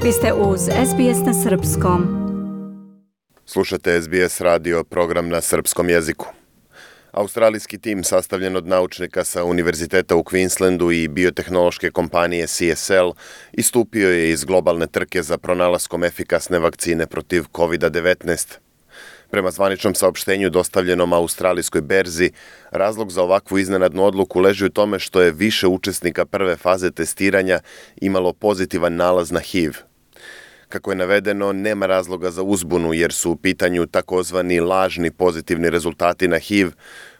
Vi ste uz SBS na Srpskom. Slušate SBS radio, program na srpskom jeziku. Australijski tim sastavljen od naučnika sa Univerziteta u Queenslandu i biotehnološke kompanije CSL istupio je iz globalne trke za pronalaskom efikasne vakcine protiv COVID-19. Prema zvaničnom saopštenju dostavljenom australijskoj berzi, razlog za ovakvu iznenadnu odluku leži u tome što je više učesnika prve faze testiranja imalo pozitivan nalaz na HIV. Kako je navedeno, nema razloga za uzbunu jer su u pitanju takozvani lažni pozitivni rezultati na HIV,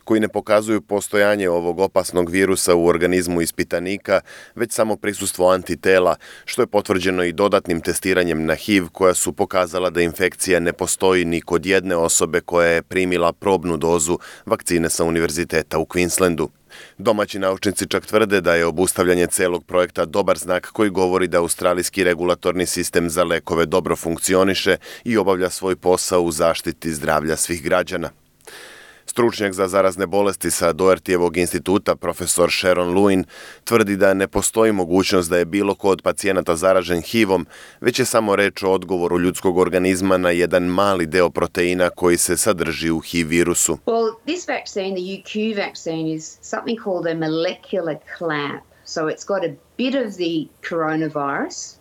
koji ne pokazuju postojanje ovog opasnog virusa u organizmu ispitanika, već samo prisustvo antitela, što je potvrđeno i dodatnim testiranjem na HIV koja su pokazala da infekcija ne postoji ni kod jedne osobe koja je primila probnu dozu vakcine sa Univerziteta u Queenslandu. Domaći naučnici čak tvrde da je obustavljanje celog projekta dobar znak koji govori da australijski regulatorni sistem za lekove dobro funkcioniše i obavlja svoj posao u zaštiti zdravlja svih građana. Stručnjak za zarazne bolesti sa Dohertyjevog instituta, profesor Sharon Lewin, tvrdi da ne postoji mogućnost da je bilo ko od pacijenata zaražen HIV-om, već je samo reč o odgovoru ljudskog organizma na jedan mali deo proteina koji se sadrži u HIV virusu. Well, this vaccine, the UQ vaccine, is something called a molecular clamp. So it's got a bit of the coronavirus,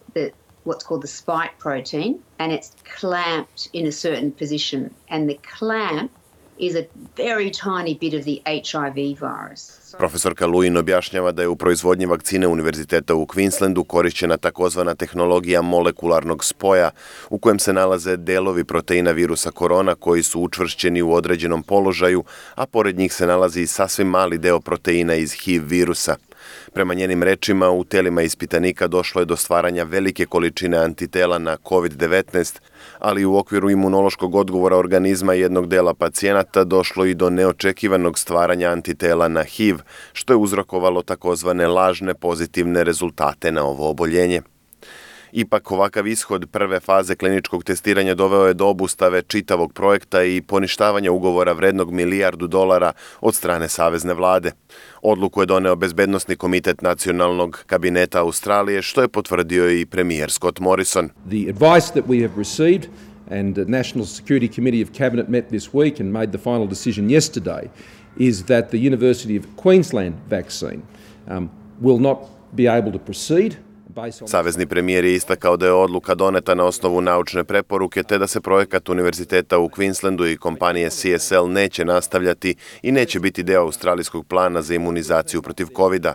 what's called the spike protein, and it's clamped in a certain position. And the clamp is a very tiny bit of the HIV virus. Profesorka Lewin objašnjava da je u proizvodnji vakcine Univerziteta u Queenslandu korišćena takozvana tehnologija molekularnog spoja u kojem se nalaze delovi proteina virusa korona koji su učvršćeni u određenom položaju, a pored njih se nalazi i sasvim mali deo proteina iz HIV virusa. Prema njenim rečima, u telima ispitanika došlo je do stvaranja velike količine antitela na COVID-19, ali u okviru imunološkog odgovora organizma jednog dela pacijenata došlo i do neočekivanog stvaranja antitela na HIV, što je uzrokovalo takozvane lažne pozitivne rezultate na ovo oboljenje. Ipak, ovakav ishod prve faze kliničkog testiranja doveo je do obustave čitavog projekta i poništavanja ugovora vrednog $1 milijardu od strane savezne vlade. Odluku je doneo Bezbednosni komitet nacionalnog kabineta Australije, što je potvrdio i premijer Scott Morrison. The advice that we have received and the National Security Committee of Cabinet met this week and made the final decision yesterday is that the University of Queensland vaccine will not be able to proceed. Savezni premijer je istakao da je odluka doneta na osnovu naučne preporuke te da se projekat Univerziteta u Queenslandu i kompanije CSL neće nastavljati i neće biti deo australijskog plana za imunizaciju protiv COVID-a.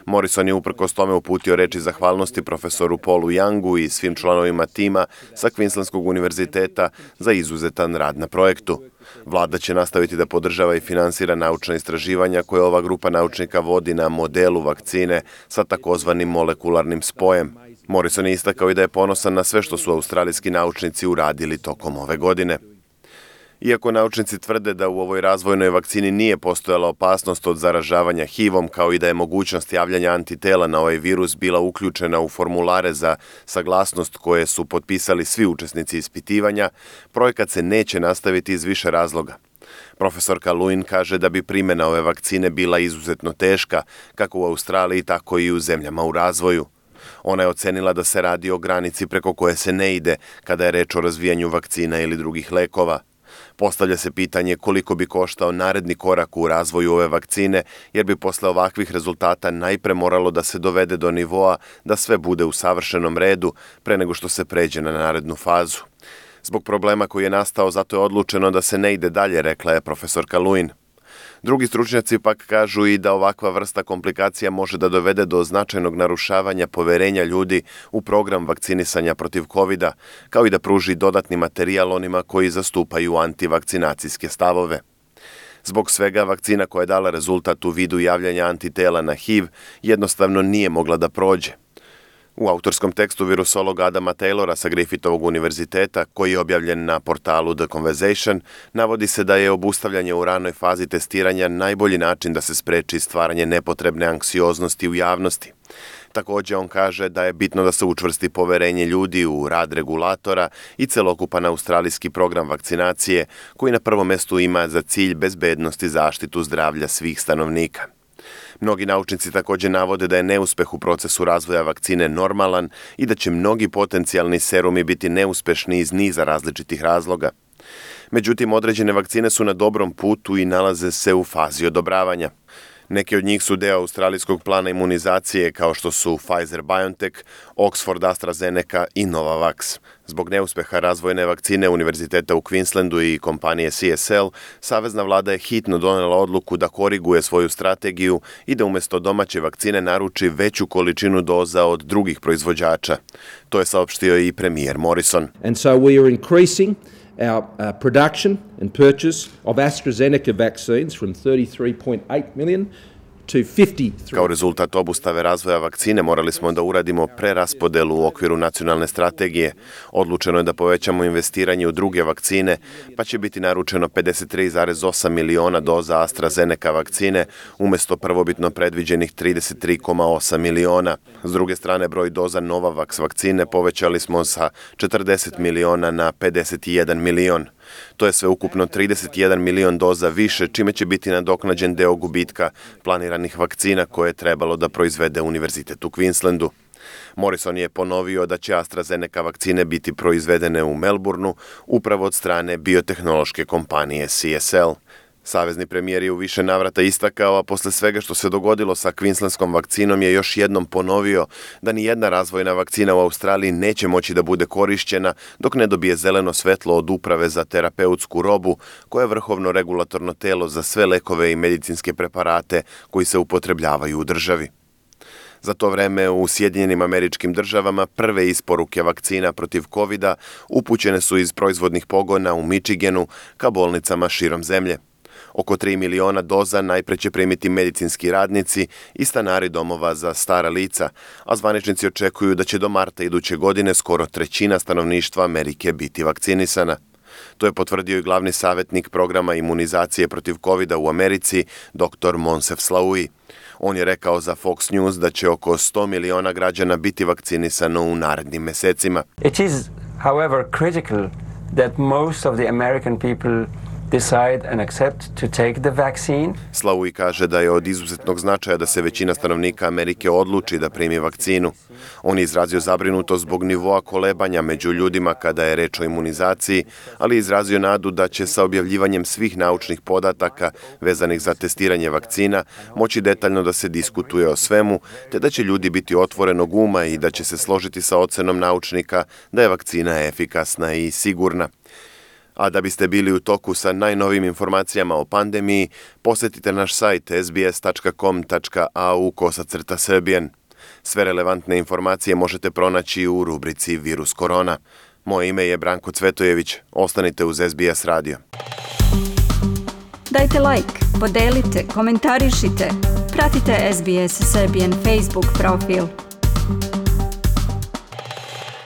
Morrison je uprkos tome uputio reči zahvalnosti profesoru Paulu Youngu i svim članovima tima sa Queenslandskog univerziteta za izuzetan rad na projektu. Vlada će nastaviti da podržava i finansira naučna istraživanja koje ova grupa naučnika vodi na modelu vakcine sa takozvanim molekularnim spojem. Morrison je istakao i da je ponosan na sve što su australijski naučnici uradili tokom ove godine. Iako naučnici tvrde da u ovoj razvojnoj vakcini nije postojala opasnost od zaražavanja HIV-om, kao i da je mogućnost javljanja antitela na ovaj virus bila uključena u formulare za saglasnost koje su potpisali svi učesnici ispitivanja, projekat se neće nastaviti iz više razloga. Profesorka Lewin kaže da bi primjena ove vakcine bila izuzetno teška, kako u Australiji, tako i u zemljama u razvoju. Ona je ocenila da se radi o granici preko koje se ne ide kada je reč o razvijanju vakcina ili drugih lekova. Postavlja se pitanje koliko bi koštao naredni korak u razvoju ove vakcine, jer bi posle ovakvih rezultata najpre moralo da se dovede do nivoa da sve bude u savršenom redu pre nego što se pređe na narednu fazu. Zbog problema koji je nastao, zato je odlučeno da se ne ide dalje, rekla je profesorka Lewin. Drugi stručnjaci pak kažu i da ovakva vrsta komplikacija može da dovede do značajnog narušavanja poverenja ljudi u program vakcinisanja protiv COVID-a, kao i da pruži dodatni materijal onima koji zastupaju antivakcinacijske stavove. Zbog svega, vakcina koja je dala rezultat u vidu javljanja antitela na HIV jednostavno nije mogla da prođe. U autorskom tekstu virusologa Adama Taylora sa Griffithovog univerziteta, koji je objavljen na portalu The Conversation, navodi se da je obustavljanje u ranoj fazi testiranja najbolji način da se spreči stvaranje nepotrebne anksioznosti u javnosti. Također on kaže da je bitno da se učvrsti poverenje ljudi u rad regulatora i celokupan australijski program vakcinacije, koji na prvom mestu ima za cilj bezbednost i zaštitu zdravlja svih stanovnika. Mnogi naučnici također navode da je neuspeh u procesu razvoja vakcine normalan i da će mnogi potencijalni serumi biti neuspešni iz niza različitih razloga. Međutim, određene vakcine su na dobrom putu i nalaze se u fazi odobravanja. Neke od njih su deo australijskog plana imunizacije kao što su Pfizer-BioNTech, Oxford-AstraZeneca i Novavax. Zbog neuspeha razvojne vakcine Univerziteta u Queenslandu i kompanije CSL, savezna vlada je hitno donela odluku da koriguje svoju strategiju i da umjesto domaće vakcine naruči veću količinu doza od drugih proizvođača. To je saopštio i premijer Morrison. And so we are increasing our production and purchase of AstraZeneca vaccines from 33.8 million to 53. Kao rezultat obustave razvoja vakcine morali smo da uradimo preraspodelu u okviru nacionalne strategije. Odlučeno je da povećamo investiranje u druge vakcine, pa će biti naručeno 53,8 miliona doza AstraZeneca vakcine umjesto prvobitno predviđenih 33,8 miliona. S druge strane, broj doza Novavax vakcine povećali smo sa 40 miliona na 51 milion. To je sve ukupno 31 milion doza više, čime će biti nadoknađen deo gubitka planiranih vakcina koje je trebalo da proizvede Univerzitet u Queenslandu. Morrison je ponovio da će AstraZeneca vakcine biti proizvedene u Melbourneu upravo od strane biotehnološke kompanije CSL. Savezni premijer je u više navrata istakao, a posle svega što se dogodilo sa kvinslandskom vakcinom je još jednom ponovio da ni jedna razvojna vakcina u Australiji neće moći da bude korišćena dok ne dobije zeleno svetlo od Uprave za terapeutsku robu, koja je vrhovno regulatorno telo za sve lekove i medicinske preparate koji se upotrebljavaju u državi. Za to vreme u Sjedinjenim Američkim Državama prve isporuke vakcina protiv covida upućene su iz proizvodnih pogona u Michiganu ka bolnicama širom zemlje. Oko 3 miliona doza najpre će primiti medicinski radnici i stanari domova za stara lica, a zvaničnici očekuju da će do marta iduće godine skoro trećina stanovništva Amerike biti vakcinisana. To je potvrdio i glavni savjetnik programa imunizacije protiv covida u Americi, dr. Moncef Slaoui. On je rekao za Fox News da će oko 100 miliona građana biti vakcinisano u narednim mesecima. It is, however, critical that most of the American people decide and accept to take the vaccine. Slaoui kaže da je od izuzetnog značaja da se većina stanovnika Amerike odluči da primi vakcinu. On je izrazio zabrinutost zbog nivoa kolebanja među ljudima kada je reč o imunizaciji, ali je izrazio nadu da će sa objavljivanjem svih naučnih podataka vezanih za testiranje vakcina moći detaljno da se diskutuje o svemu, te da će ljudi biti otvorenog uma i da će se složiti sa ocenom naučnika da je vakcina efikasna i sigurna. A da biste bili u toku sa najnovijim informacijama o pandemiji, posjetite naš sajt sbs.com.au/srbijan. Sve relevantne informacije možete pronaći u rubrici Virus korona. Moje ime je Branko Cvetojević. Ostanite uz SBS radio. Dajte like, podelite, komentarišite. Pratite SBS Serbian Facebook profil.